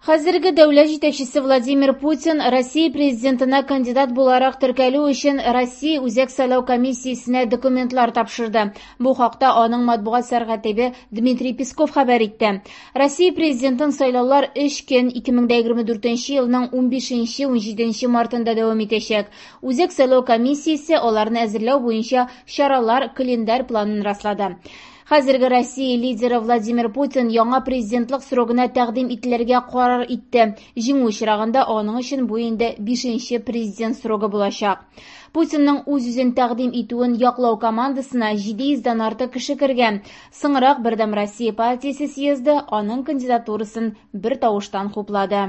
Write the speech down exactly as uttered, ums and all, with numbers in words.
Хәзерге дәүләт җитәкчесе Владимир Путин Россия президентына кандидат буларак теркәлү өчен Россия Үзәк сайлау комиссиясенә документлар тапшырды. Бу хакта аның матбугат сәркатибе Дмитрий Песков хәбәр итте. Россия президентын сайлаулар өч көн, ике мең егерме дүртенче елның унбишенче-унҗиденче мартында дәвам итәчәк. Үзәк сайлау комиссиясе аларны әзерләү буенча чаралар календарь планын раслады. Хәзерге Россия лидеры Владимир Путин яңа президентлык срогына тәкъдим ителергә карар итте. Җиңү очрагында аның өчен бу инде бишенче президент срогы булачак. Путинның үз-үзен тәкъдим итүен яклау командасына җиде йөздән артык кеше кергән. Соңрак Бердәм Россия партиясе съезды аның кандидатурасын бер тавыштан хуплады.